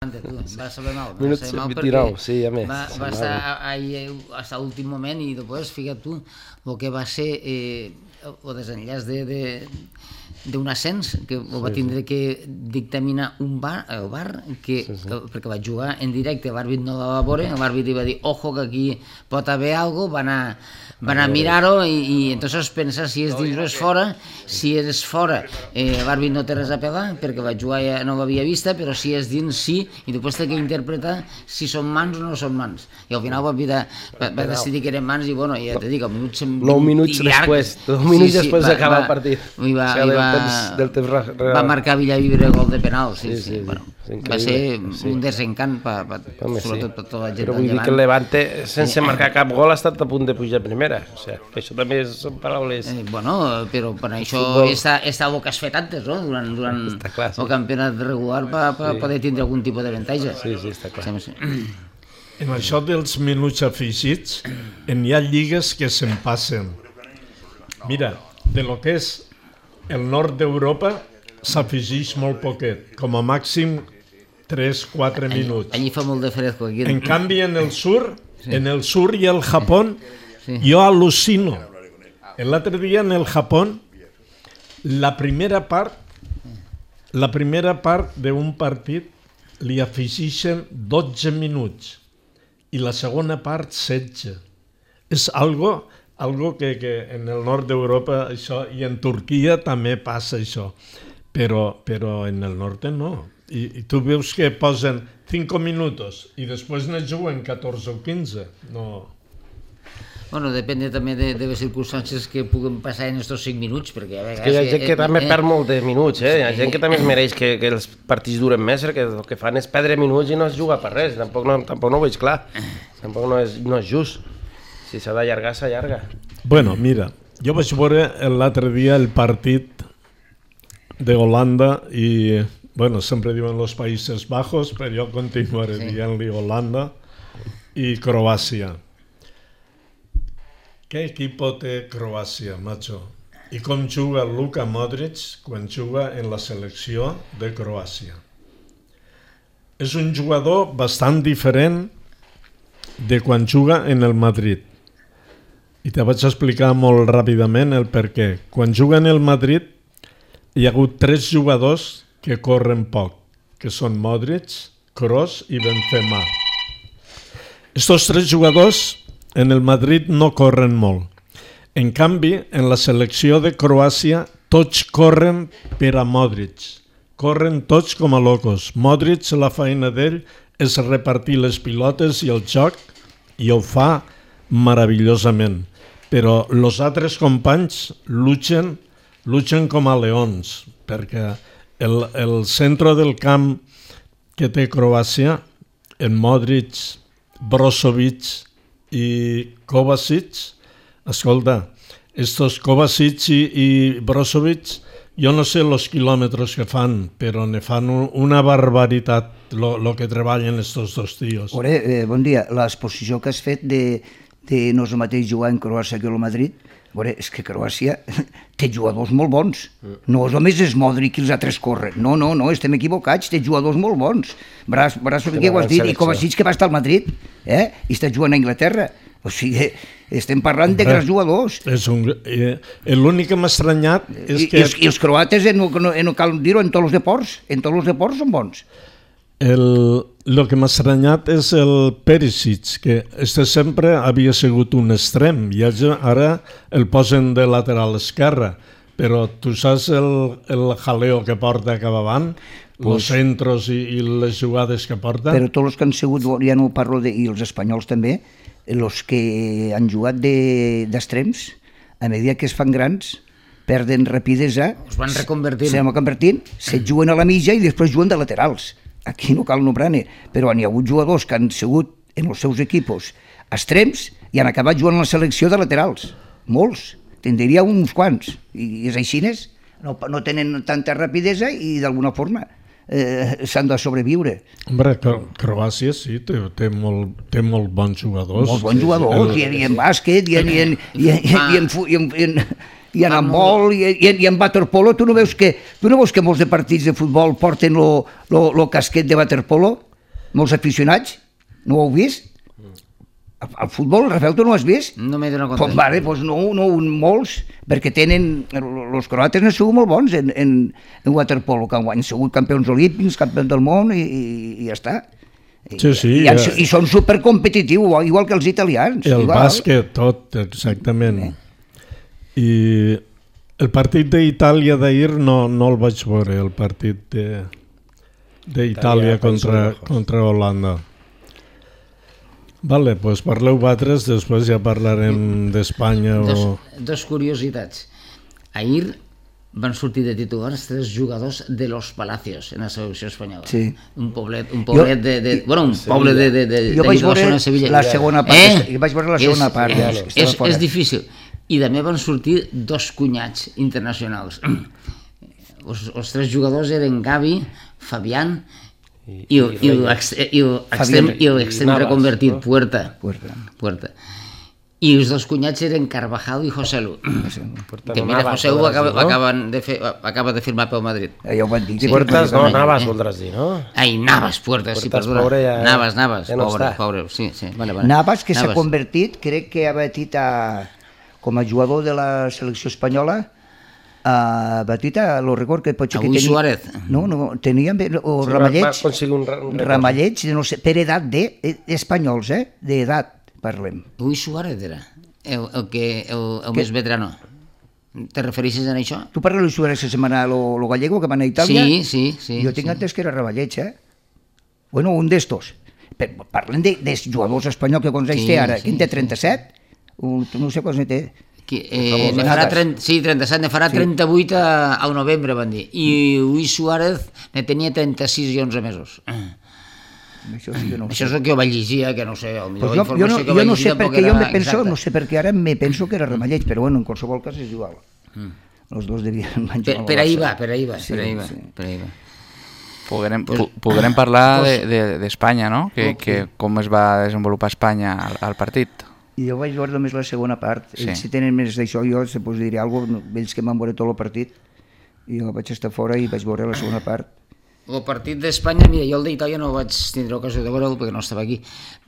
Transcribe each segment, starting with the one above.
Va saber mal. Minuts 29, sí, a més. Va estar ahí hasta l'últim moment i després, fíjate tu, el que va ser el desenllaç d'un ascens que ho va tindre que dictaminar el bar, perquè va jugar en directe, l'àrbit no la va veure, l'àrbit va dir, ojo, que aquí pot haver alguna cosa, van a mirar-ho i entonces pensar si és dins o és fora. Si és fora, l'àrbit no té res a pegar perquè va jugar ja no l'havia vista, però si és dins sí, i després té que interpretar si són mans o no són mans, i al final va decidir que eren mans i bueno, ja te dic, 9 minuts després, 9 minuts després d'acabar el partit, va marcar Villavibre gol de penal. Va ser un desencant sobretot per tota la gent del Llevant. Però vull dir que el Levante sense marcar cap gol ha estat a punt de pujar a primera, o sigui, que això també són paraules... Bueno, però per això està el que has fet antes, no? Durant el campionat regular per poder tindre algun tipus d'avantatge. Sí, està clar. En això dels minuts afegits, hi ha lligues que se'n passen. Mira, de lo que és el nord d'Europa s'afegeix molt poquet, com a màxim 3-4 minuts. Allí fa molt de fresco. En canvi, en el sur i el Japó, jo al·lucino. L'altre dia en el Japó, la primera part d'un partit li afegeixen 12 minuts i la segona part 16. És algo que en el nord d'Europa això, i en Turquia també passa això, però en el nord no. I tu veus que posen 5 minuts i després ne juguen 14 o 15. No. Bueno, depèn també de les circumstàncies que puguen passar en aquests 5 minuts, perquè a vegades... Hi ha gent que també perd molt de minuts, Hi ha gent que també es mereix que els partits duren més, perquè el que fan és perdre minuts i no es juga per res. Tampoc no ho veig clar. Tampoc no és just. Si s'ha d'allargar, s'allarga. Bueno, mira, jo vaig veure l'altre dia el partit de Holanda i... Bueno, sempre diuen los Països Bajos, però jo continuaré dient-li Holanda i Croàcia. Què equipo té Croàcia, macho? I com juga Luka Modric quan juga en la selecció de Croàcia? És un jugador bastant diferent de quan juga en el Madrid. I te vaig explicar molt ràpidament el per què. Quan juga en el Madrid hi ha hagut 3 jugadors que corren poc, que són Modric, Kroos i Benzema. Estos 3 jugadors en el Madrid no corren molt. En canvi, en la selecció de Croàcia, tots corren per a Modric. Corren tots com a locos. Modric, la feina d'ell és repartir les pilotes i el joc, i ho fa meravellosament. Però els altres companys luchen com a leons, perquè el centre del camp que té Croàcia, en Modric, Brozovic i Kovacic, escolta, estos Kovacic i Brozovic, jo no sé els quilòmetres que fan, però ne fan una barbaritat lo que treballen estos dos tios. Bon dia, l'exposició que has fet de no és el mateix jugar en Croàcia que el Madrid, és que Croàcia té jugadors molt bons. No només és Modric i els altres corren. No, estem equivocats, té jugadors molt bons. Brozovic, que ho has dit, i Kovacic, que va estar al Madrid, i està jugant a Anglaterra. O sigui, estem parlant de grans jugadors. L'únic que m'ha estranyat és que... I els croates, no cal dir-ho, en tots els deports són bons. El que m'ha estranyat és el Perisic, que sempre havia sigut un extrem i ara el posen de lateral esquerre, però tu saps el jaleo que porta cap avant, els centros i les jugades que porta? Però tots els que han sigut, ja no parlo i els espanyols també, els que han jugat d'extrems, a mesura que es fan grans, perden rapidesa, es van reconvertint, se juguen a la mitja i després juguen de laterals. Aquí no cal nombrar-ne, però hi ha hagut jugadors que han sigut en els seus equipos extrems i han acabat jugant a la selecció de laterals. Molts, te'n diria uns quants. I els aixines no tenen tanta rapidesa i d'alguna forma s'han de sobreviure. Hombre, Croàcia sí, té molt bons jugadors. Molt bons jugadors, i en bàsquet, i en handbol, i en waterpolo. Tu no veus que molts de partits de futbol porten el casquet de waterpolo? molts aficionats, no ho heu vist? Al futbol, Rafael, tu no ho has vist? No m'he donat compte. Pues vale, pues no, molts, perquè tenen, els croates han sigut molt bons en waterpolo, que han sigut campions olímpics, campions del món i ja està. Sí. I són supercompetitius, igual que els italians. El igual. bàsquet, tot, exactament. I el partit d'Itàlia d'ahir no el vaig veure, el partit d'Itàlia contra Holanda. Vale, doncs parleu vosaltres, després ja parlarem d'Espanya o... Dos curiositats. Ahir van sortir de titulars 3 jugadors de Los Palacios en la selecció espanyola. Sí. Un poblet de bueno, un poble de jo vaig veure zona de Sevilla. la segona part, vaig veure la segona part. És difícil. I també van sortir 2 cunyats internacionals. Els 3 jugadors eren Gavi, Fabián i l'extrem reconvertit, Puerta. I els 2 cunyats eren Carvajal i Joselu. Que mira, Joselu acaba de firmar pel Madrid. Ja ho van dir. Puertas no, Navas voldràs dir, no? Ai, Navas, Puertas, sí, perdona. Navas, pobre, sí. Navas, que s'ha convertit, crec que ha batit com a jugador de la selecció espanyola, lo record que potser que tenia... Avui Suárez. No, tenia Ramalleig, no sé, per edat d'espanyols, d'edat parlem. Avui Suárez era el més veterano. Te refereixes a això? Tu parles de Suárez la setmana, lo gallego que va a Itàlia? Sí. Jo tinc entès que era Ramalleig, Bueno, un d'estos. Parlem de jugadors espanyols que quants anys té ara. Quin té 37? No sé quants té. Ne farà 37, ne farà 38 al novembre, van dir. I Luis Suárez ne tenia 36 i 11 mesos. Això sí que no ho sé. Això és el que jo vaig llegir, que no sé, el millor informació que jo vaig no sé llegir perquè jo me penso, no sé perquè ara me penso que era Ramalleig, però bueno, en qualsevol cas és igual. Els dos devien menjar. Per ahí va. Podrem parlar d'Espanya, no? Que com es va desenvolupar Espanya al partit. I jo vaig veure només la segona part. Ells si tenen més d'això, jo se us diré alguna cosa, ells que van veure tot el partit, i jo vaig estar fora i vaig veure la segona part. El partit d'Espanya, mira, jo el d'Itàlia no vaig tindre ocasió de veure'l perquè no estava aquí,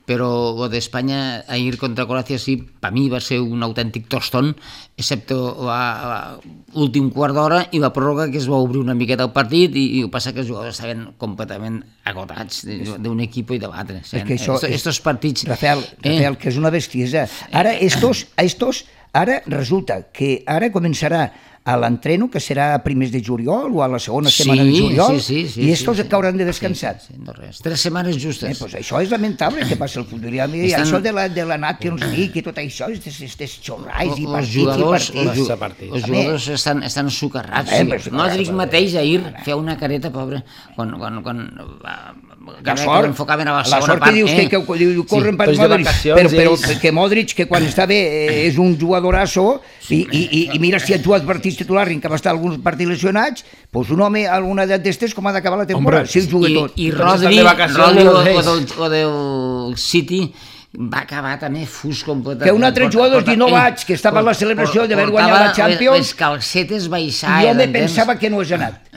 però el d'Espanya ahir contra Croàcia sí, per mi va ser un autèntic tostón, excepte l'últim quart d'hora i la pròrroga que es va obrir una miqueta el partit i el que passa que els jugadors estaven completament agotats d'un equip i de l'altre. Estos partits... Rafael, que és una bestiesa. Ara, ara resulta que ara començarà a l'entreno, que serà a primers de juliol o a la segona setmana de juliol, i estos cauran de descansar. No res, 3 setmanes justes. Pues això és lamentable que passa el futbol. I això de la Nations League i tot això, aquestes xorrais i partits. Els jugadors estan sucarrats. Modric mateix ahir feia una careta, pobre, quan enfocaven a la segona part. La sort que dius que corren per Modric, però que Modric, que quan està bé és un jugadorasso, i mira si ha jugat partits titular i que va estar alguns partits lesionats, doncs un home a una edat d'estes com ha d'acabar la temporada, si el juga tot. I Rodri o del City va acabar també fus completament. Que un altre jugador es diu Novac, que estava a la celebració d'haver guanyat la Champions, les calcetes baixaven. Jo me pensava que no és anat.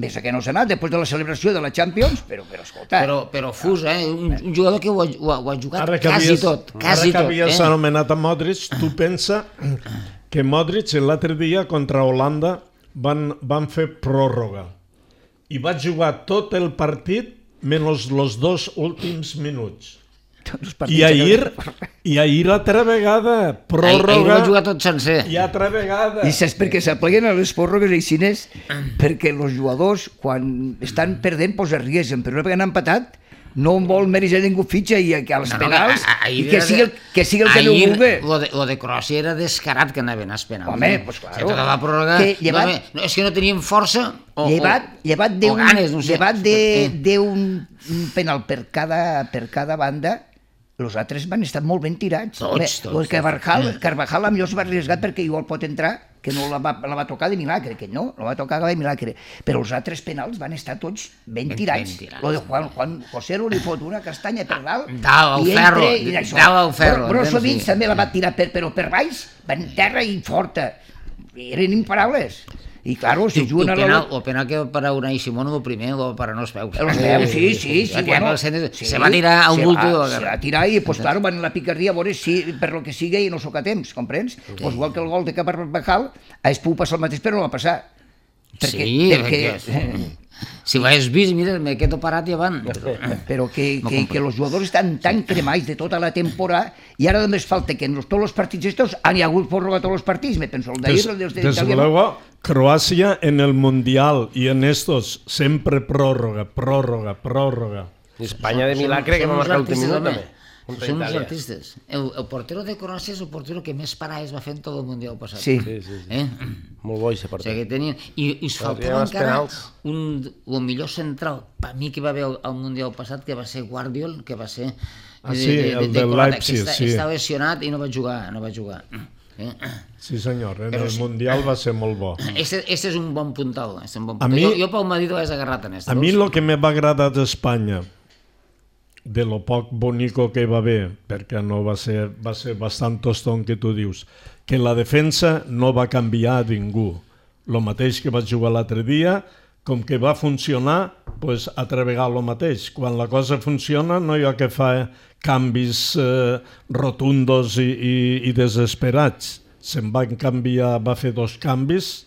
Ves que no s'ha anat després de la celebració de la Champions, però escolta... Però fus, un jugador que ho ha jugat quasi tot. Ara que havies anomenat a Modric, tu pensa que Modric l'altre dia contra Holanda van fer pròrroga i va jugar tot el partit menys els 2 últims minuts. I ahir altra vegada pròrroga. Ahir va jugar tot sencer. I altra vegada. I saps per què s'apleguen a les pròrrogues aixines? Perquè els jugadors, quan estan perdent, es arriesguen, però una vegada han empatat, no vol mereixer ningú fitxa i als penals, i que sigui el que no vulgui. Lo de Croàcia era descarat que anaven als penals. Home, doncs clar. Que tota la pròrroga... És que no tenien força o ganes, no sé. Llevat d'un penal per cada banda, els altres van estar molt ben tirats. Tots. Carvajal millor es va arriesgar perquè igual pot entrar, que no la va tocar de milagre, que no, la va tocar de milagre. Però els altres penals van estar tots ben tirats. Lo de Juan José li fot una castanya per dalt i entra i d'això. Brozovic també la va tirar, però per baix, va en terra i forta. Eren imparables. I, claro, si juguen a la... O penal que va parar Unai Simón el primer, o parar els peus. Els peus, sí, bueno. Se va tirar a un bulto. Se va tirar i, pues, claro, van a la picardia a veure si, per lo que sigui, i no soc a temps, comprens? Pues igual que el gol de Carvajal, hagués pogut passar el mateix, però no va passar. Perquè... Si ho hagués vist, mira, me quedo parat i avant. Però que els jugadors estan tan cremats de tota la temporada i ara només falta que en tots els partits estos han hi hagut pròrroga tots els partits, me penso, el d'ahir, el d'Itàlia... Desde luego, Croacia en el Mundial y en estos siempre prórroga. I Espanya de milagre que va marcar l'últim minut també. Són uns artistes. El portero de Croàcia és el portero que més parades va fer en tot el Mundial passat. Sí. Molt bo, aquest porter. O sigui, que tenien... I es faltava encara el millor central, per mi, que va haver al Mundial passat, que va ser Guardiol, que va ser... el de Leipzig, sí. Està lesionat i no va jugar. Sí, senyor, en el Mundial va ser molt bo. Este és un bon puntal. Jo pel Madrid ho hagués agarrat en este. A mi el que me va agradar d'Espanya, de lo poc bonico que va haver, perquè no va ser bastant toston que tu dius, que la defensa no va canviar a ningú. Lo mateix que vaig jugar l'altre dia, com que va funcionar, pues, altra vegada el mateix. Quan la cosa funciona no hi ha que fer canvis rotundos i desesperats. Se'n van canviar, va fer 2 canvis,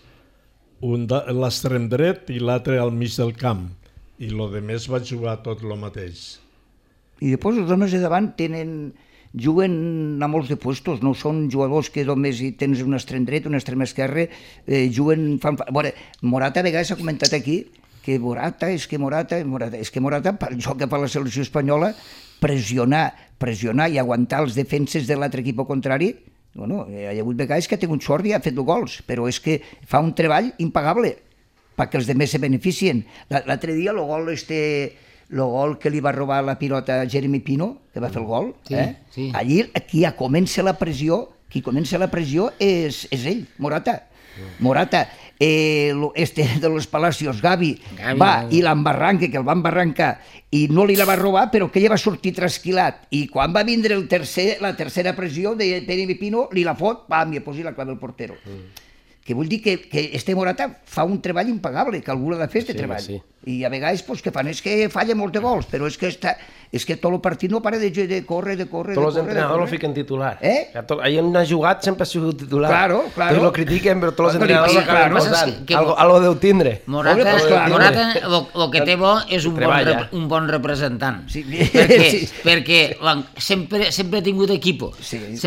un a l'extrem dret i l'altre al mig del camp. I lo de més va jugar tot el mateix. I després els homes de davant juguen a molts de puestos, no són jugadors que només tens un extrem dret, un extrem esquerre, juguen... Morata a vegades s'ha comentat aquí que Morata, pel joc que fa la selecció espanyola, pressionar i aguantar els defenses de l'altre equip contrari, bueno, hi ha hagut vegades que ha tingut sort i ha fet gols, però és que fa un treball impagable perquè els demés se beneficien. L'altre dia el gol que li va robar la pilota a Jeremy Pino, que va fer el gol, allí qui comença la pressió és ell, Morata. De los Palacios, Gavi va i l'embarranca, que el va embarrancar i no li la va robar, però que ella va sortir trasquilat, i quan va vindre la tercera pressió de Jeremy Pino, li la fot, pam, i posi la clave al portero. Que vull dir que este Morata fa un treball impagable, que algú l'ha de fer, este treball. I a vegades que fan és que falla molts de gols, però és que tot el partit no para de córrer. Tots els entrenadors lo fiquen titular. Ahir on ha jugat sempre ha sigut titular. Claro. Tots lo critiquen, però tots els entrenadors acaben posant. Algo deu tindre. Morata, el que té bo és un bon representant. Perquè sempre ha tingut equipo.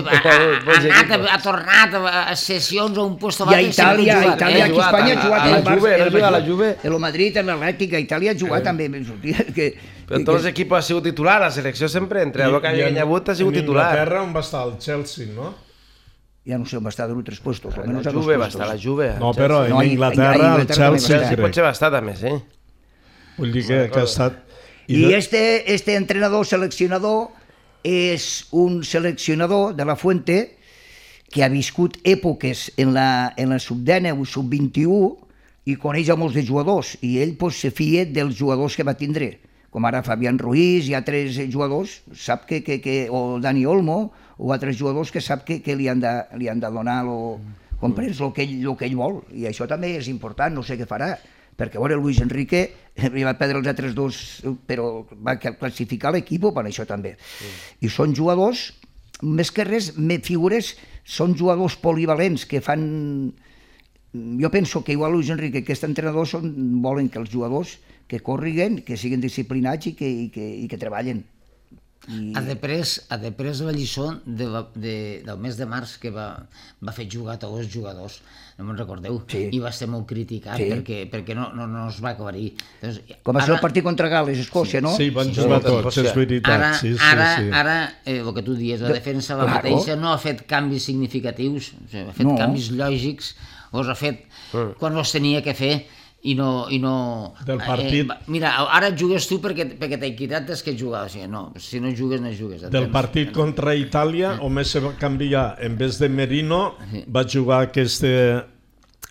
Ha tornat a sessions a un lloc a Itàlia, aquí a Espanya ha jugat a la Juve, el Madrid, en l'Atlètic, a Itàlia ha jugat també. Però tots els equips ha sigut titular, la selecció sempre, entrenador que ha hagut ha sigut titular. En Inglaterra on va estar el Chelsea, no? Ja no sé on va estar de 3 puestos. La Juve va estar, la Juve. No, però en Inglaterra el Chelsea crec. Potser va estar també, sí. Vull dir que ha estat... I este entrenador seleccionador és un seleccionador de la Fuente que ha viscut èpoques en la sub-10 o sub-21 i coneix a molts de jugadors, i ell se fia dels jugadors que va tindre, com ara Fabián Ruiz i altres jugadors, sap o Dani Olmo, o altres jugadors que sap que li han de donar comprens el que ell vol, i això també és important, no sé què farà, perquè Luis Enrique va perdre els altres 2, però va classificar l'equip per això també. I són jugadors, més que res, figures, són jugadors polivalents que fan... Jo penso que igual Luis Enrique, aquest entrenador, volen que els jugadors que corriguen, que siguin disciplinats i que treballen. Ha després la lliçó del mes de març que va fer jugar tots els jugadors, no me'n recordeu, i va ser molt criticat perquè no es va aclarir. Com va ser el partit contra Gal·les, Escòcia, no? Sí, van jugar tots, és veritat. Ara, el que tu dius, la defensa la mateixa no ha fet canvis significatius, ha fet canvis lògics, els ha fet quan els tenia que fer, i no... Del partit... Mira, ara jugues tu perquè t'he quitat des que jugaves. No, si no jugues, no jugues. Del partit contra Itàlia, només se va canviar. En vez de Merino, va jugar aquest,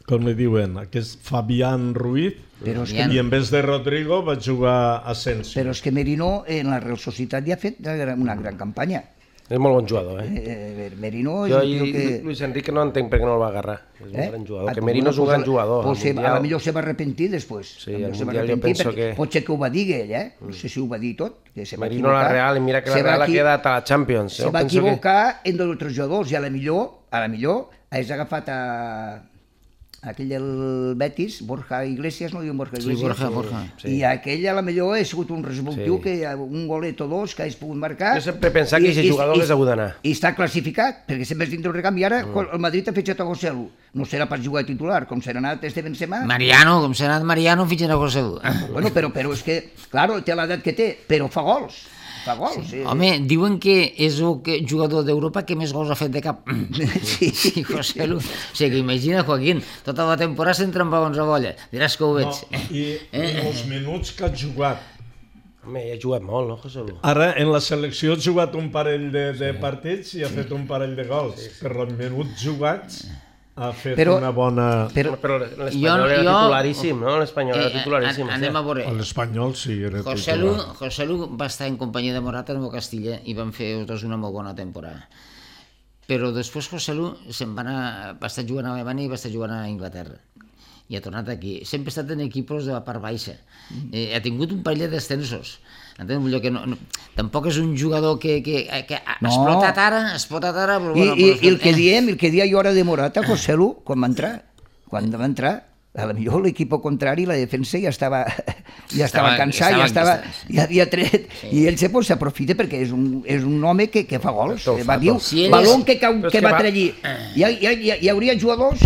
com li diuen, aquest Fabián Ruiz, i en vez de Rodrigo va jugar Asensio. Però és que Merino en la Real Societat ja ha fet una gran campanya. És molt bon jugador, eh? Merino és Jo un tio que... Luis Enrique no entenc per què no el va agarrar. És un gran jugador. Que Merino és un gran jugador. Pues a la millor se va arrepentir després. Sí, al Mundial jo penso que... Pot ser que ho va dir ell, No sé si ho va dir tot. Que se va Merino a la Real, i mira que la Real ha quedat a la Champions. Se va equivocar en dos altres jugadors, i a la millor hagués agafat aquell del Betis, Borja Iglesias, no diuen Borja Iglesias? Sí, Borja. I aquell a la millor ha sigut un resolutiu que un golet o dos que hagis pogut marcar. Jo sempre he pensat que aquest jugador hagués hagut d'anar. I està classificat, perquè sempre és dintre el recanvi. I ara el Madrid ha fitxat a José Lu. No serà pas jugar titular, com serà anat este Benzema. Mariano, com serà anat Mariano, fitxen a José Lu. Bueno, però és que, claro, té l'edat que té, però fa gols. Sí. Home, diuen que és el jugador d'Europa que més gols ha fet de cap. Sí. José Lu. O sigui, que imagina, Joaquín, tota la temporada s'entren pavons a bolla. Diràs que ho veig. No, i els minuts que ha jugat. Home, ha jugat molt, no, José Lu? Ara, en la selecció ha jugat un parell de partits i ha fet un parell de gols. Per els minuts jugats ha fet una bona... Però l'Espanyol era titularíssim, no? L'Espanyol era titularíssim. Anem a veure. L'Espanyol sí, era titular. José Lu va estar en companyia de Morata en el Castilla i van fer els dos una molt bona temporada. Però després José Lu va estar jugant a Alemanya i va estar jugant a Inglaterra. I ha tornat aquí. Sempre ha estat en equips de la part baixa. Ha tingut un parell de descensos. Entens? Que tampoc és un jugador que ha explotat ara, però bueno... I el que dia jo ara de Morata, José Lu, quan va entrar, a la millor l'equip contrari, la defensa ja estava cansat, ja havia tret, i ell s'aprofita perquè és un home que fa gols. Va dir, balón que va trellir. Hi hauria jugadors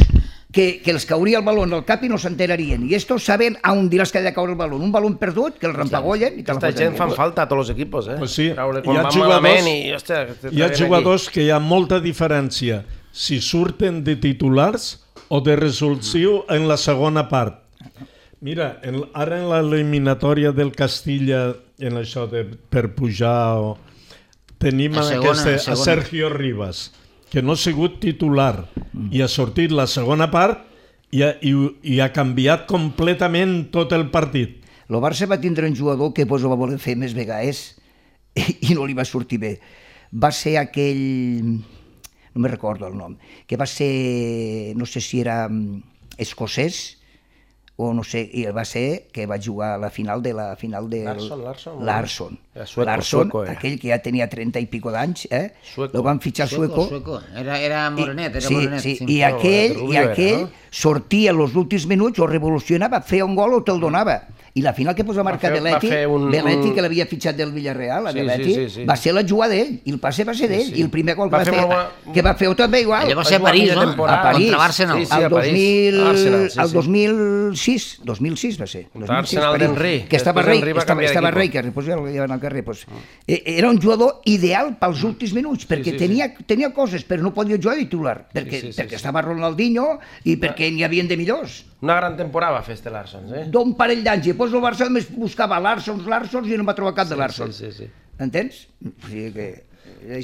que els cauria el baló al cap i no s'enterarien. I estos saben a on diràs que ha de caure el baló. Un baló perdut, que el rampagollen i te la foten. Aquesta gent fan falta a tots els equipos, eh? Pues sí, hi ha jugadors que hi ha molta diferència si surten de titulars o de resolució en la segona part. Mira, ara en l'eliminatòria del Castilla, en això per pujar, tenim a Sergio Rivas, que no ha sigut titular i ha sortit la segona part i ha canviat completament tot el partit. El Barça va tindre un jugador que ho va voler fer més vegades i no li va sortir bé. Va ser aquell... no me recordo el nom, que va ser, no sé si era escocès, o no sé, i va ser que va jugar a la final de Larsson, aquell que ja tenia 30 i pico d'anys, el van fitxar sueco. Era morenet, Sí, i aquell sortia en els últims minuts, o revolucionava, feia un gol o te'l donava. I la final que posa marcar Belletti, que l'havia fitxat del Villarreal, va ser la jugada d'ell, i el passe va ser d'ell, i el primer gol que va fer també igual. Allò va ser a París, no? A París, al 2006 va ser. L'Arsenal d'Henry. Que estava rei, que després ja van al carrer. Era un jugador ideal pels últims minuts, perquè tenia coses, però no podia jugar de titular, perquè estava Ronaldinho i perquè n'hi havien de millors. Una gran temporada va fer este Larsson, eh? D'un parell d'anys, i després el Barça només buscava Larsons i no va trobar cap de Larsons. Entens? O sigui que...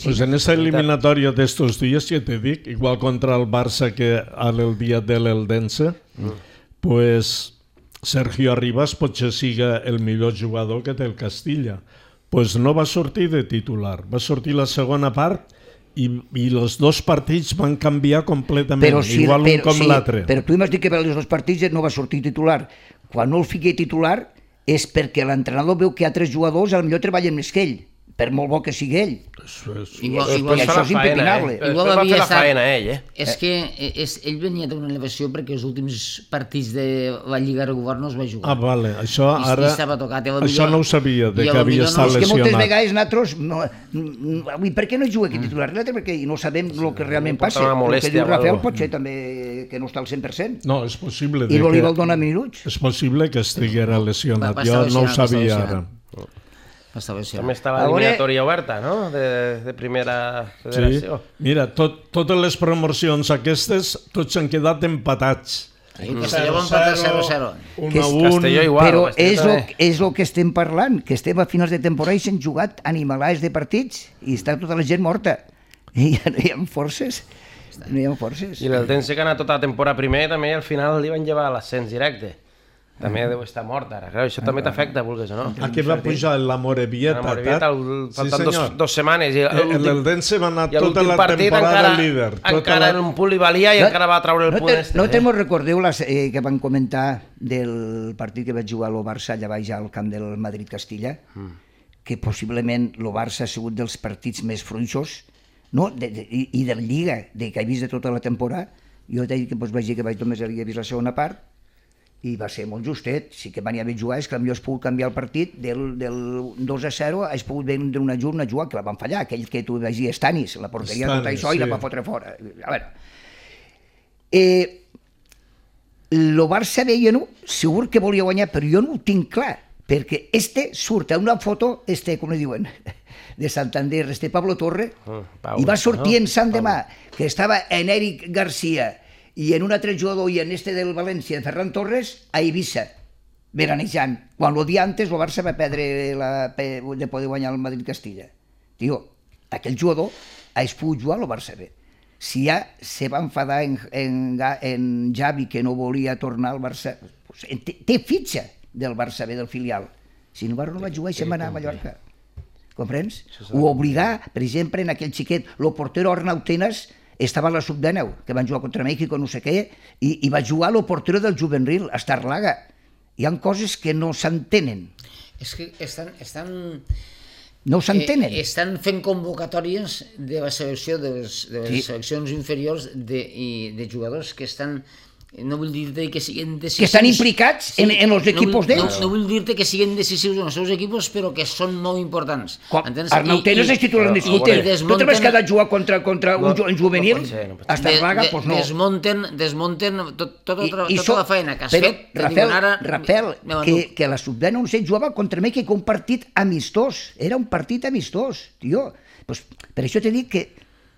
Pues en esa eliminatoria de estos días, que te dic, igual contra el Barça que el dia de l'Eldense, pues Sergio Rivas potser siga el millor jugador que té el Castilla. Pues no va sortir de titular, va sortir la segona part i els dos partits van canviar completament, igual un com l'altre. Però tu m'has dit que per els dos partits no va sortir titular. Quan no el fiqui titular és perquè l'entrenador veu que altres jugadors potser treballen més que ell, per molt bo que sigui ell. I això és impepinable. Després va fer la faena ell, És que ell venia d'una elevació perquè els últims partits de la Lliga regular no es va jugar. Ah, vale, això ara... Això no ho sabia, de que havia estat lesionat. És que moltes vegades nosaltres... Per què no juga aquí titular? Perquè no sabem el que realment passa. El que diu Rafael pot ser també que no està al 100%. No, és possible. I no li vol donar minuts. És possible que estiguera lesionat. Jo no ho sabia ara. També està l'eliminatòria oberta, no?, de primera federació. Sí. Mira, totes les promocions aquestes, tots han quedat empatats. Castelló va empatar 0-0. Castelló igual. Però és el que estem parlant, que estem a finals de temporada i s'han jugat animalars de partits i està tota la gent morta. I ja no hi ha forces. I l'Eldense, que ha anat tota la temporada primer, també al final li van llevar l'ascens directe. També deu estar mort ara. Clar, això també t'afecta, vulguis o no. Aquí va pujar la Morevieta. La Morevieta, faltant dos setmanes. I l'Eldense va anar i tota l'últim la partit temporada líder. encara en un punt li valia i encara va treure el punt este. No te mos recordeu que van comentar del partit que vaig jugar al Barça allà baix al camp del Madrid-Castilla? Que possiblement el Barça ha sigut dels partits més fluixos, no? I de la Lliga, que he vist de tota la temporada. Jo vaig dir que només havia vist la segona part i va ser molt justet. Sí que venia bé jugar, és que potser has pogut canviar el partit del 2-0, has pogut vendre una jugada que la van fallar, aquell que tu vaig dir Stanis, la porteria tot això i la va fotre fora. A veure, el Barça veia, no? Segur que volia guanyar, però jo no ho tinc clar, perquè surt a una foto, com li diuen, de Santander, Pablo Torre, i va sortir en Sant Demà, que estava en Eric Garcia i en un altre jugador i en del València, Ferran Torres, a Eivissa, veranejant, quan el dia antes el Barça va perdre de poder guanyar el Madrid-Castilla. Tio, aquell jugador ha pogut jugar al Barça bé. Si ja se va enfadar en Javi, que no volia tornar al Barça, té fitxa del Barça B, del filial. Si no va jugar i se'n va anar a Mallorca. Comprens? Ho obligà, per exemple, en aquell xiquet, el portero Arnau Tenas estava a la sub-19, que van jugar contra México, no sé què, i va jugar el portero del Juvenil, a Estarlaga. Hi ha coses que no s'entenen. És que no s'entenen. Estan fent convocatòries de la selecció, de les seleccions inferiors de jugadors que estan... No vull dir-te que siguin decisius... Que estan implicats en els equipos d'ells. No vull dir-te que siguin decisius en els seus equipos, però que són molt importants. Arnau Tenas és titular indiscutible. Tu trobes que ha de jugar contra un juvenil? A Estarlaga? Doncs no. Desmunten tota la feina que has fet. Rafael, que la sub-11 jugava contra México, un partit amistós. Era un partit amistós, tio. Per això t'he dit que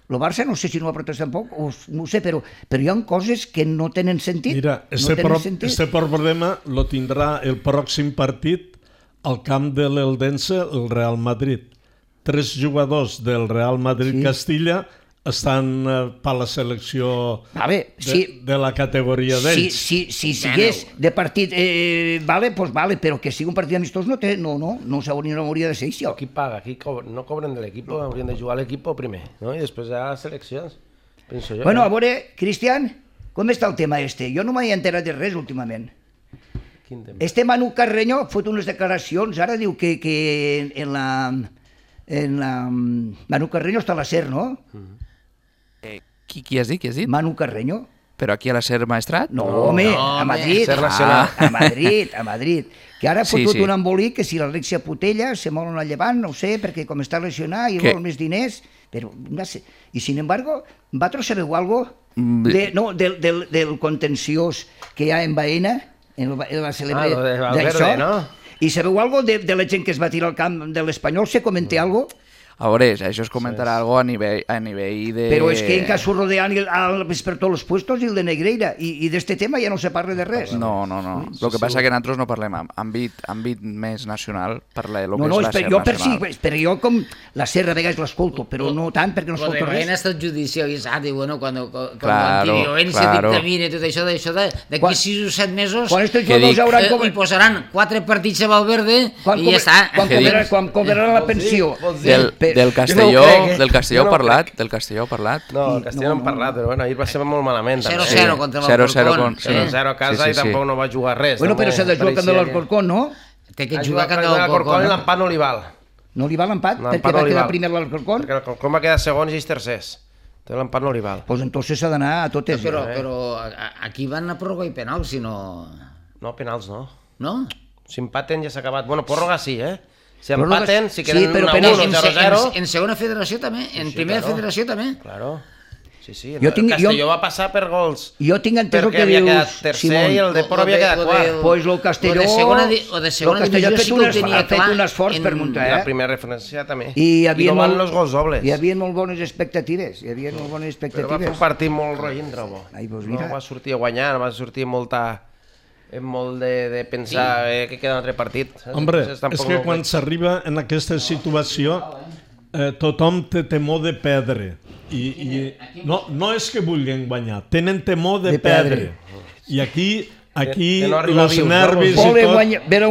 el Barça no sé si no ho ha protestat tampoc, no ho sé, però hi ha coses que no tenen sentit. Mira, este problema lo tindrà el pròxim partit al camp de l'Eldense, el Real Madrid. 3 jugadors del Real Madrid-Castilla estan per la selecció de la categoria d'ells. Si sigués de partit, vale, però que sigui un partit amistós no hauria de ser això. Qui paga? No cobren de l'equip, haurien de jugar a l'equip primer, no? I després ja a les seleccions, penso jo. Bueno, a veure, Cristian, com està el tema este? Jo no m'he enterat de res últimament. Quin tema? Manu Carreño ha fet unes declaracions, ara diu que en la... Manu Carreño està a la SER, no? Qui has dit? Manu Carreño. Però aquí a la SER Maestrat? No, home, a Madrid. A Madrid. Que ara ha fotut un embolic que si l'Alexia Putella se molen al Llevant, no ho sé, perquè com està lesionat i vol més diners, però no sé. I sin embargo, vosaltres sabeu algo del contenciós que hi ha en Baena, en la celebre d'això? I sabeu algo de la gent que es va tirar al camp de l'Espanyol? Se comenté algo? A veure, això es comentarà algo a nivell de... Però és que en caso rodean per tots els puestos i el de Negreira, i d'este tema ja no se parla de res. No. El que passa és que nosaltres no parlem àmbit més nacional, parla de lo que és la SER nacional. Però jo com la SER a vegades l'escolto, però no tant perquè no escolto res. Lo de ha estat judicialitzat, i bueno, quan l'antiviolència dictamina tot això, d'aquí 6 o 7 mesos hi posaran 4 partits a Valverde i ja està. Quan cobraran la pensió. Del Castelló heu parlat? No, el Castelló no hem parlat, però bueno, ahir va ser molt malament. 0-0 contra l'Alcorcón. 0-0 a casa i tampoc no va jugar res. Bueno, però s'ha de jugar contra l'Alcorcón, no? Té que jugar contra l'Alcorcón. I l'empat no li val. No li val l'empat? Perquè va quedar primer l'Alcorcón? Perquè l'Alcorcón va quedar segons i ells tercers. L'empat no li val. Doncs entonces s'ha d'anar a totes. Però aquí van a pròrroga i penals, si no... No, penals no. No? Si empaten ja s'ha acabat. Bueno, pròrroga sí, Si empaten, si queden 1-1 o 0-0... En segona federació també, en primera federació també. Claro. Sí, el Castelló va passar per gols. Jo tinc entès el que dius, perquè havia quedat tercer i el Depor havia quedat quart. Pues el Castelló... O de segona divisió sí que ho tenia clar. Ha fet un esforç per muntar, La primera referència també. I no van els gols dobles. Hi havia molt bones expectatives. Però va fer un partit molt roïndre, bo. No va sortir a guanyar, no va sortir molt de pensar que queda un altre partit. Hombre, és que quan s'arriba en aquesta situació tothom té temor de perdre. I no és que vulguin guanyar, tenen temor de perdre. I aquí aquí que no arriba els vius, no? nervis i Volen tot...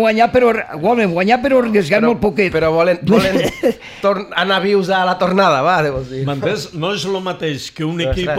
guanyar però arriesgar molt poquet. Però volen anar vius a la tornada, va, deus dir. M'entens? No és el mateix que un Però, equip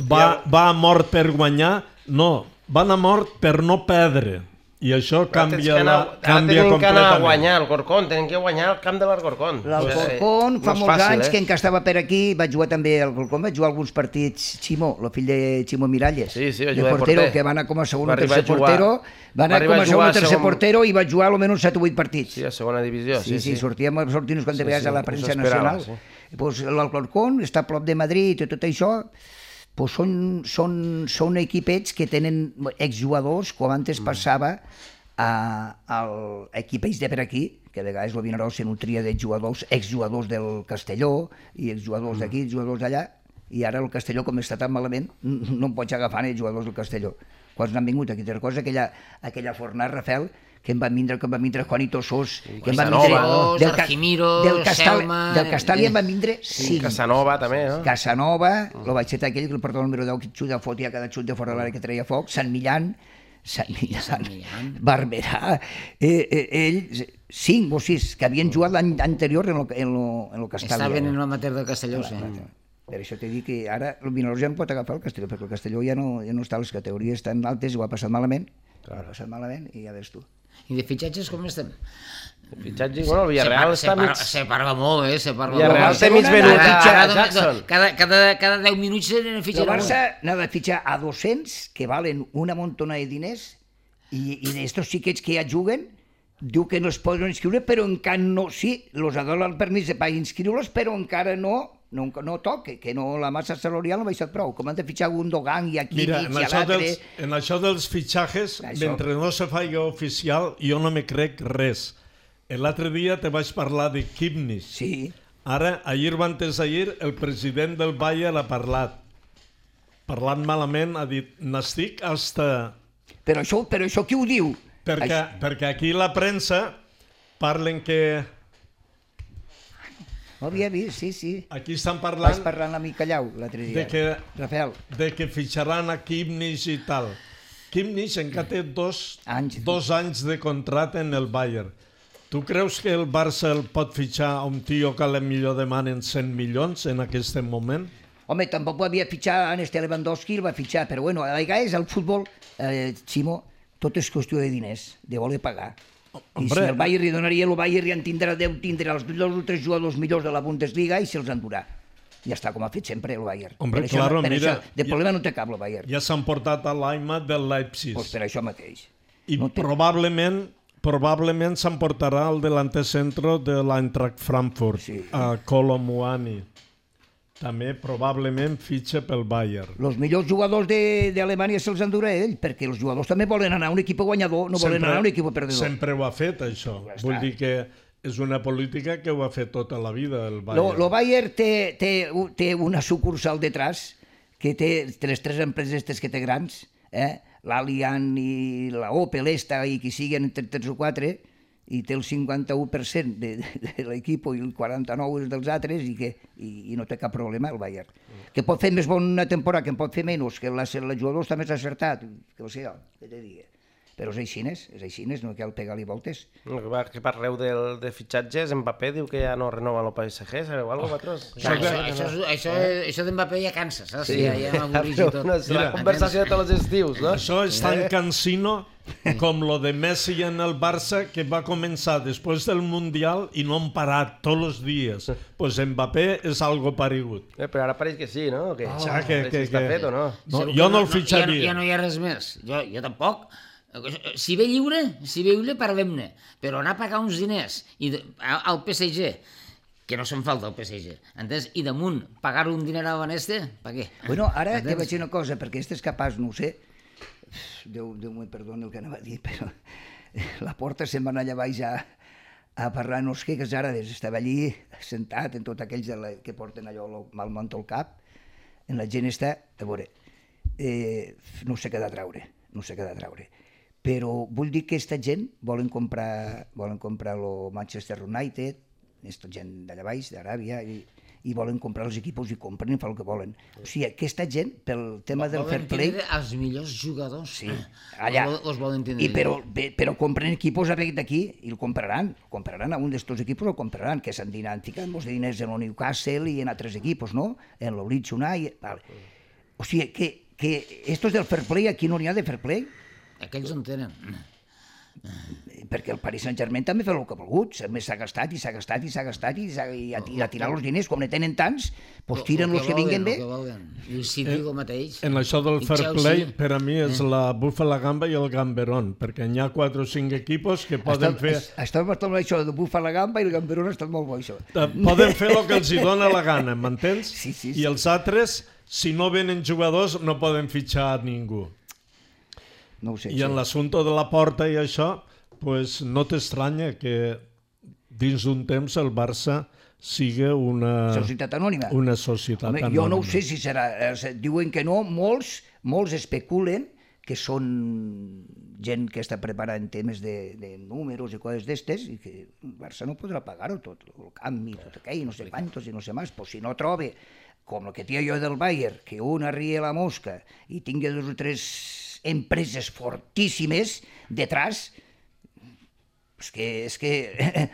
va a mort per guanyar, no, van a mort per no perdre. I això canvia tenen que anar a guanyar completament. el Corcón, tenen que guanyar el camp de l'Alcorcón. L'Alcorcón fa molts anys que estava per aquí, vaig jugar també al Alcorcón, vaig jugar alguns partits, Chimo, el fill de Chimo Miralles, Sí, va de jugar de portero, porter. que va anar com a segon o Va arribar tercer a jugar- portero, va anar arribar com a a segon jugar o a tercer segon- portero i va jugar almenys 7 o 8 partits. Sí, a segona divisió, Sí, sortíem unes quantes vegades a la premsa esperava, nacional. Pues l'Alcorcón està a prop de Madrid i tot això, pues són equipets que tenen exjugadors, com antes passava a equipets de per aquí, que a vegades el Vinaròs se nutria de jugadors, exjugadors del Castelló i exjugadors d'aquí, exjugadors d'allà, i ara el Castelló, com està tan malament, no em pots agafar els jugadors del Castelló. Quants n'han vingut aquí? Altra cosa, aquella fornada, Rafael, que em van vindre Juanito Sos, que em van vindre Arquimiro, Selma... del Castalla em van vindre 5. Casanova també, no? Casanova, el baixet aquell que el portava el número 10, que xuta fotia cada xut de fora de l'àrea que treia foc, Sant Millán, Barberà, ells, 5 o 6, que havien jugat l'any anterior en el Castalla. Estaven en l'amateur del Castelló, sí. Per això t'he dit que ara el Vinaròs ja no pot agafar el Castelló, perquè el Castelló ja no està a les categories tan altes, ho ha passat malament, i ja ves tu. I de fitxatges com estem? Fitxatge, bueno, el Villarreal està mig... Se parla molt, se parla Villarreal molt. té mig venut a Jackson. Cada 10 minuts se n'ha El fitxat Barça n'ha de fitxar a 200 que valen una montona de diners i d'estos xiquets que ja juguen diu que no es poden inscriure, però encara no... Sí, els ha donat el permís per inscriure-los, però encara no toque, que no, la massa salarial no ha baixat prou. Com han de fitxar Gundogan i aquí Mira, i a l'altre... en això dels fitxajes, mentre no se faci oficial, jo no me crec res. L'altre dia te vaig parlar de Kipnis. Sí. Ara, ahir o antes d'ahir, el president del Bayern ha parlat. Parlant malament, ha dit, n'estic hasta... Però això qui ho diu? Perquè aquí la premsa parlen que... Ho havia vist, sí. Aquí estan Vaig parlant parlar amb l'amic Callau l'altre dia. Rafael. de que fitxaran a Kipnis i tal. Kipnis encara té dos anys de contracte en el Bayern. Tu creus que el Barça el pot fitxar a un tio que a la millor demanen 100 milions en aquest moment? Home, tampoc ho havia fitxat en este Lewandowski, el va fitxar, però bueno, a vegades el futbol, Ximo, tot és qüestió de diners, de voler pagar. I si el Bayern li donaria, el Bayern ja en tindrà els 2 o 3 jugadors millors de la Bundesliga i se'ls endurà. Ja està, com ha fet sempre el Bayern. Hombre, claro, mira... De problema no té cap el Bayern. Ja s'han portat a l'Aimat del Leipzig. Doncs per això mateix. I probablement s'emportarà el delanter centro de l'Eintracht Frankfurt, a Kolo Muani. També probablement fitxa pel Bayern. Els millors jugadors d'Alemanya se'ls endurà ell, perquè els jugadors també volen anar a un equip guanyador, no volen anar a un equip perdedor. Sempre ho ha fet, això. Vull dir que és una política que ho ha fet tota la vida, el Bayern. El Bayern té una sucursal detrás, que té les 3 empreses que té grans, l'Allianz i la Opel, i qui siguen entre 3 o 4, i té el 51% de l'equip i el 49% dels altres i no té cap problema el Bayern. Que pot fer més bona temporada, que en pot fer menys, que el jugador està més acertat, que ho sé jo, què te digui. Però és així, no cal pegar-li voltes. Que parleu de fitxatges, Mbappé diu que ja no renova el PSG, sabeu alguna cosa, Això d'Mbappé ja cansa, saps? Sí, ja m'avorrix i tot. És la conversació de tots els estius, no? Això és tan cansino com lo de Messi en el Barça, que va començar després del Mundial i no han parat tots els dies. Pues Mbappé és algo paregut. Però ara pareix que sí, no? Que està fet o no? Jo no el fitxaria. Ja no hi ha res més. Jo tampoc. Si ve lliure, parlem-ne. Però anar a pagar uns diners al PSG, que no se'n falta al PSG, entens? I damunt pagar un diner a l'Aneste, per què? Bueno, ara te vaig dir una cosa, perquè este és capaç, no ho sé, Déu me perdoni el que anava a dir, però la porta se'n va anar allà baix a parlar, no sé què, ara estava allí sentat en tots aquells que porten allò mal manto al cap, en la gent està, a veure, no sé què de traure, però vull dir que aquesta gent volen comprar el Manchester United, aquesta gent d'allà baix, d'Aràbia, i volen comprar els equipos i compren i fan el que volen. O sigui, aquesta gent, pel tema del fair play... Volen tindre els millors jugadors. Sí, allà. Els volen tindre. Però compren equipos d'aquí i el compraran a un d'estos equipos, el compraran, que s'han ficat molts diners en el Newcastle i en altres equipos, no? En el Leeds United... Vale. O sigui, que estos del fair play, aquí no n'hi ha de fair play. Aquells en tenen. Perquè el Paris Saint-Germain també fa el que ha volgut, s'ha gastat i a tirar els diners, com ne tenen tants, doncs tiren els que vinguen bé. I el City el mateix. En això del fair play, per a mi és la Bufa la Gamba i el Gamberón, perquè hi ha 4 o 5 equipos que poden fer... Està bastant molt això de Bufa la Gamba i el Gamberón està molt bo, això. Poden fer el que els hi dona la gana, m'entens? Sí. I els altres, si no venen jugadors, no poden fitxar ningú. No ho sé. I en l'assumpte de la porta i això, pues no t'estranya que dins d'un temps el Barça sigui una... Societat anònima. Una societat anònima. Jo no ho sé si serà... Diuen que no, molts especulen que són gent que està preparant temes de números i coses d'estes i que el Barça no podrà pagar-ho tot, el canvi, tot aquell, no sé quantos i no sé més, pues si no trobe, com el que tinc jo del Bayern, que un arrie la mosca i tingui 2 o 3 empreses fortíssimes detrás, és que...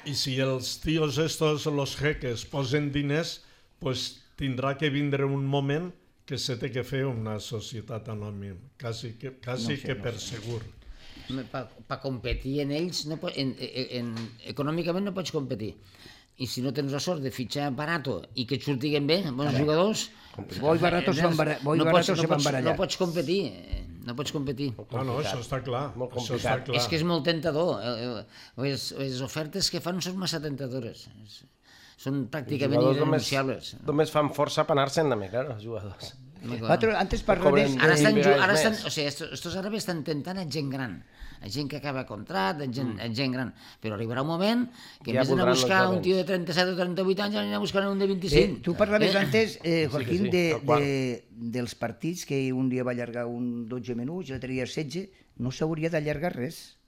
I si els tios estos, los jeques, posen diners, pues tindrà que vindre un moment que se té que fer una societat anònima, quasi que per segur. Per competir en ells, econòmicament no pots competir. I si no tens la sort de fitxar barato i que et surtiguen bé, bons jugadors... Bo i barato se van barallar. No pots competir. No pots competir. No, això està clar. Molt complicat. És que és molt tentador. Les ofertes que fan són massa tentadores. Són pràcticament irrenunciables. Només fan força per anar-se'n també, clar, els jugadors. Antes parlàvem... Ara estan, o sigui, estos àrabs estan tentant a gent gran, a gent que acaba contrat, a gent gran, però arribarà un moment que en vez d'anar a buscar un tio de 37 o 38 anys anirà a buscar un de 25. Tu parlaves antes, Joaquín, dels partits que un dia va allargar un 12 minuts i l'altre dia 16, no s'hauria d'allargar res.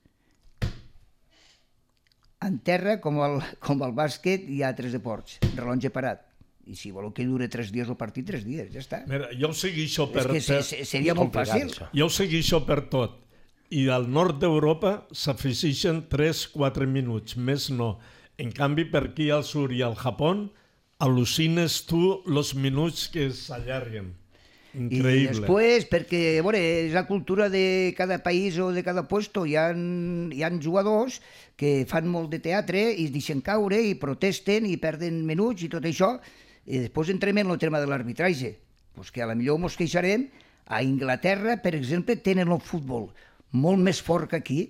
En terra, com el bàsquet, hi ha 3 deports, rellotge parat. I si voleu que dure 3 dies el partit, 3 dies, ja està. Mira, jo ho segueixo per... És que seria molt fàcil. Jo ho segueixo per tot. I al nord d'Europa s'afegeixen 3-4 minuts, més no. En canvi, per aquí al sud i al Japó, al·lucines tu els minuts que s'allarguen. Increïble. I després, perquè a veure, és la cultura de cada país o de cada puesto, hi ha jugadors que fan molt de teatre i es deixen caure i protesten i perden minuts i tot això, i després entrem en el tema de l'arbitratge, pues que a la millor ens queixarem. A Inglaterra, per exemple, tenen el futbol molt més fort que aquí,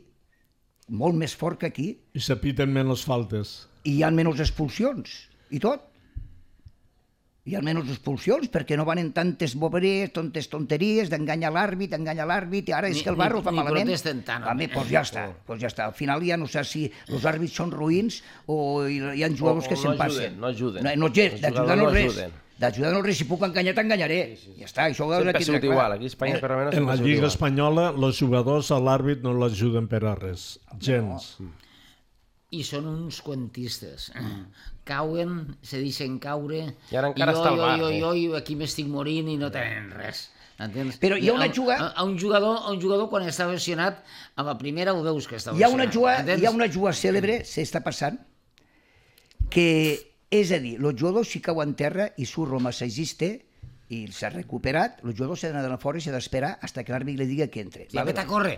molt més fort que aquí. I s'apiten menys faltes. I hi ha menys expulsions, i tot. Hi ha menys expulsions perquè no van en tantes boberies, tantes tonteries d'enganyar l'àrbit, i ara és que el barro fa malament. Ni protesten tant. Doncs ja està. Al final ja no sé si els àrbits són ruïns o hi ha jugadors que se'n passen. No ajuden. D'ajudar no res. D'ajudar no res, si puc enganyar t'enganyaré. Ja està, això ho sempre ha sigut igual. Aquí a Espanya per almenys en la Lliga Espanyola els jugadors a l'àrbit no l'ajuden per a res. Gens. I són uns quantistes. Cauen, se deixen caure, i ara encara està al bar. Jo aquí m'estic morint i no tenen res. Entens? Però hi ha una jugada... A un jugador quan està lesionat, a la primera ho veus que està lesionat. Hi ha una jugada cèlebre, s'està passant, que, és a dir, el jugador si cau en terra i surt el massagista i s'ha recuperat, el jugador s'ha d'anar fora i s'ha d'esperar fins que l'àrbit li digui que entre. I apreta a córrer.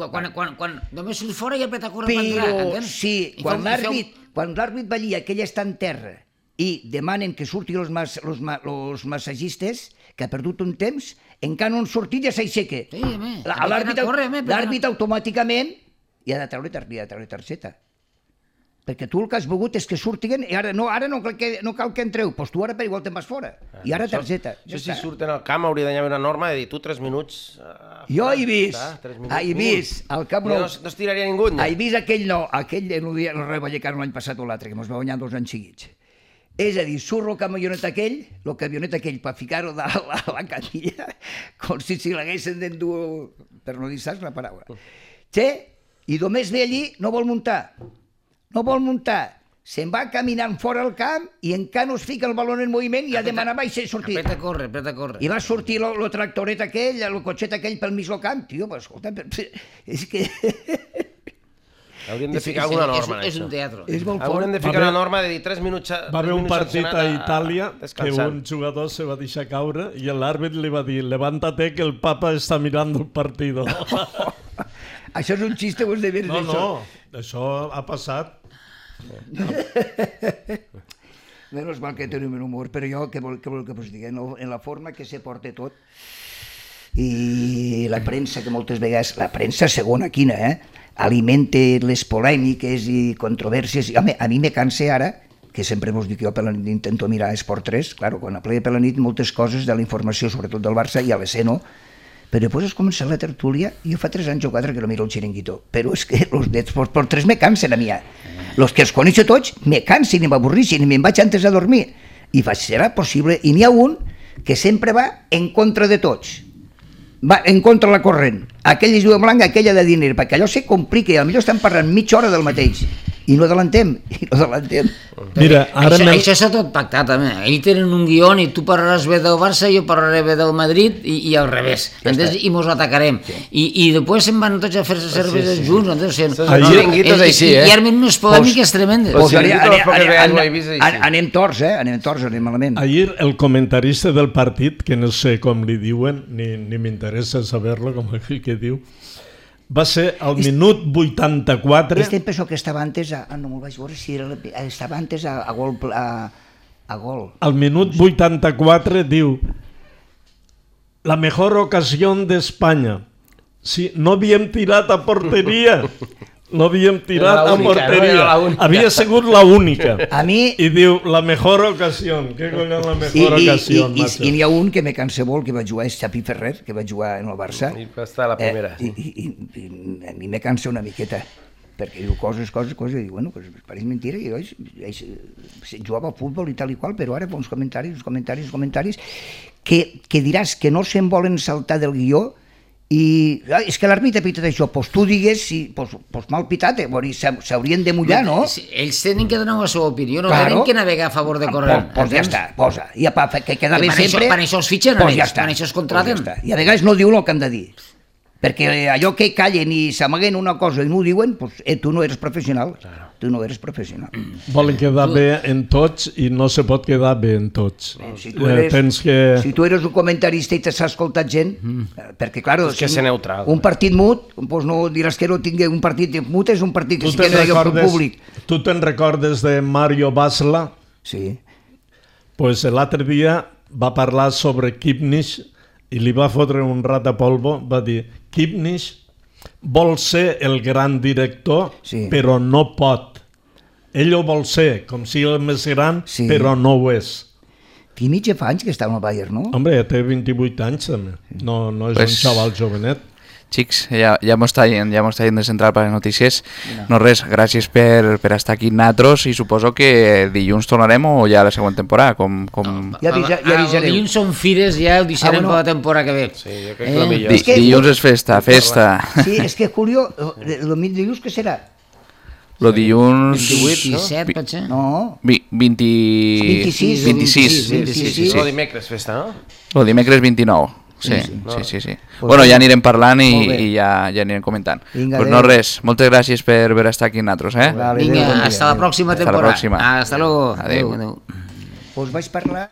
Quan només surt fora i apreta a córrer per entrar. Però sí, quan l'àrbit va allí, aquell està en terra i demanen que surtin els massagistes, que ha perdut un temps, encara no han sortit ja s'aixeca. L'àrbit automàticament i ha de treure targeta. Perquè tu el que has volgut és que surtin i ara no cal que entreu, doncs tu ara per igual te'n vas fora. I ara targeta. Això si surten al camp hauria d'haver una norma de dir tu 3 minuts... Jo he vist al camp no es tiraria ningú. He vist aquell el Rayo Vallecano l'any passat o l'altre, que ens va guanyar 2 anys seguits. És a dir, surt el camionet aquell per ficar-ho a la canilla, com si l'haguessin d'endur, per no dir saps la paraula. I només ve allí, no vol muntar. se'n va caminant fora al camp i encara no es fica el baló en moviment i ha demanat i s'ha sortit. Apreta a córrer. I va sortir el tractoret aquell, el cotxet aquell pel mig del camp. Tio, però escolta, és que... Hauríem de ficar alguna norma en És això. un teatre. És molt fort. Hauríem de ficar una norma de dir 3 minuts... Va haver un partit a Itàlia que descansant. un jugador se va deixar caure i l'àrbit li va dir levántate que el papa està mirant el partido. Això és un xiste, ho has de veure d'això. No, això ha passat. Menys mal que tenim un humor, però jo, què vol que us digui? En la forma que se porta tot, i la premsa, que moltes vegades, la premsa segona quina, alimenta les polèmiques i controvèrsies. Home, a mi me cansa ara, que sempre vos dic jo per la nit intento mirar Esport 3, claro, quan aplega per la nit moltes coses de la informació, sobretot del Barça, i a l'EC no, però després has començat la tertúlia, i jo fa 3 anys o 4 que no miro el xiringuito, però és que els d'Esport 3 me cansen a mi. Els que els coneixo tots me cansen i m'avorrixen i me'n vaig antes a dormir. I faig, serà possible? I n'hi ha un que sempre va en contra de tots. Va en contra la corrent. Aquella és de blanc, aquella de diner, perquè allò se complica i potser estan parlant mitja hora del mateix i no adelantem. Mira, ara Això s'ha tot pactat, també. Ells tenen un guió i tu parlaràs bé del Barça, jo parlaré bé del Madrid i al revés. I mos atacarem. I després se'n van tots a fer-se cerveses junts. Els xiringuitos així, Hi armen unes polèmiques tremendes. Anem torts, anem malament. ahir el comentarista del partit, que no sé com li diuen, ni m'interessa saber-lo, com aquell que diu, va ser al minut 84... Este penso que estava antes no me'l vaig veure si estava antes a gol. Al minut 84 diu: la mejor ocasión de España. Sí, no havíem tirat a porteria. No havíem tirat a porteria. Havia sigut la única. A mi... I diu, la mejor ocasión. Què coi és la mejor ocasión, macho? I n'hi ha un que me cansa molt, que va jugar, és Xavi Ferrer, que va jugar en el Barça. I va estar a la primera. I a mi me cansa una miqueta, perquè diu coses, i diu, bueno, pues pareix mentira, i jugava a futbol i tal i qual, però ara fa uns comentaris, que diràs que no se'n volen saltar del guió, i és que l'àrbitre ha pitat això, doncs tu digues, doncs mal pitat, s'haurien de mullar, no? Ells tenen que donar la seva opinió, no tenen que navegar a favor de corrent. Doncs ja està, posa, i que queda bé sempre... Per això els fitxen, per això es contraten. I a vegades no diuen el que han de dir, perquè allò que callen i s'amaguen una cosa i no ho diuen, tu no eres professional. Tu no eres professional. Volen quedar bé en tots i no se pot quedar bé en tots. Si tu eres un comentarista i t'has escoltat gent, perquè, clar, que ser neutral. Un partit mut, doncs no diràs que no tingui un partit mut, és un partit que sí que no hi ha un públic. Tu te'n recordes de Mario Basla? Sí. Pues l'altre dia va parlar sobre Kipnis i li va fotre un rat de polvo, va dir, Kipnis vol ser el gran director, però no pot. Ell ho vol ser, com si el més gran, però no ho és. Kimmich ja fa anys que està al Bayern, no? Hombre, ja té 28 anys també. No és un xaval jovenet. Xics, ja m'ho està dient de central per les notícies. No res, gràcies per estar aquí natros i suposo que dilluns tornarem o ja la següent temporada. Ja avisareu. El dilluns són fires, ja el deixarem per la temporada que ve. Sí, jo crec que el millor. Dilluns és festa. Sí, és que Julio, el dilluns què serà? Lo dilluns... 27, pot ser? No. 26. Lo dimecres festa, no? Lo dimecres 29. Sí. Bueno, ja anirem parlant i ja anirem comentant. Pues no res, moltes gràcies per estar aquí amb nosaltres. Vinga, hasta la pròxima temporada. Hasta luego. Adéu. Pues vaig parlar...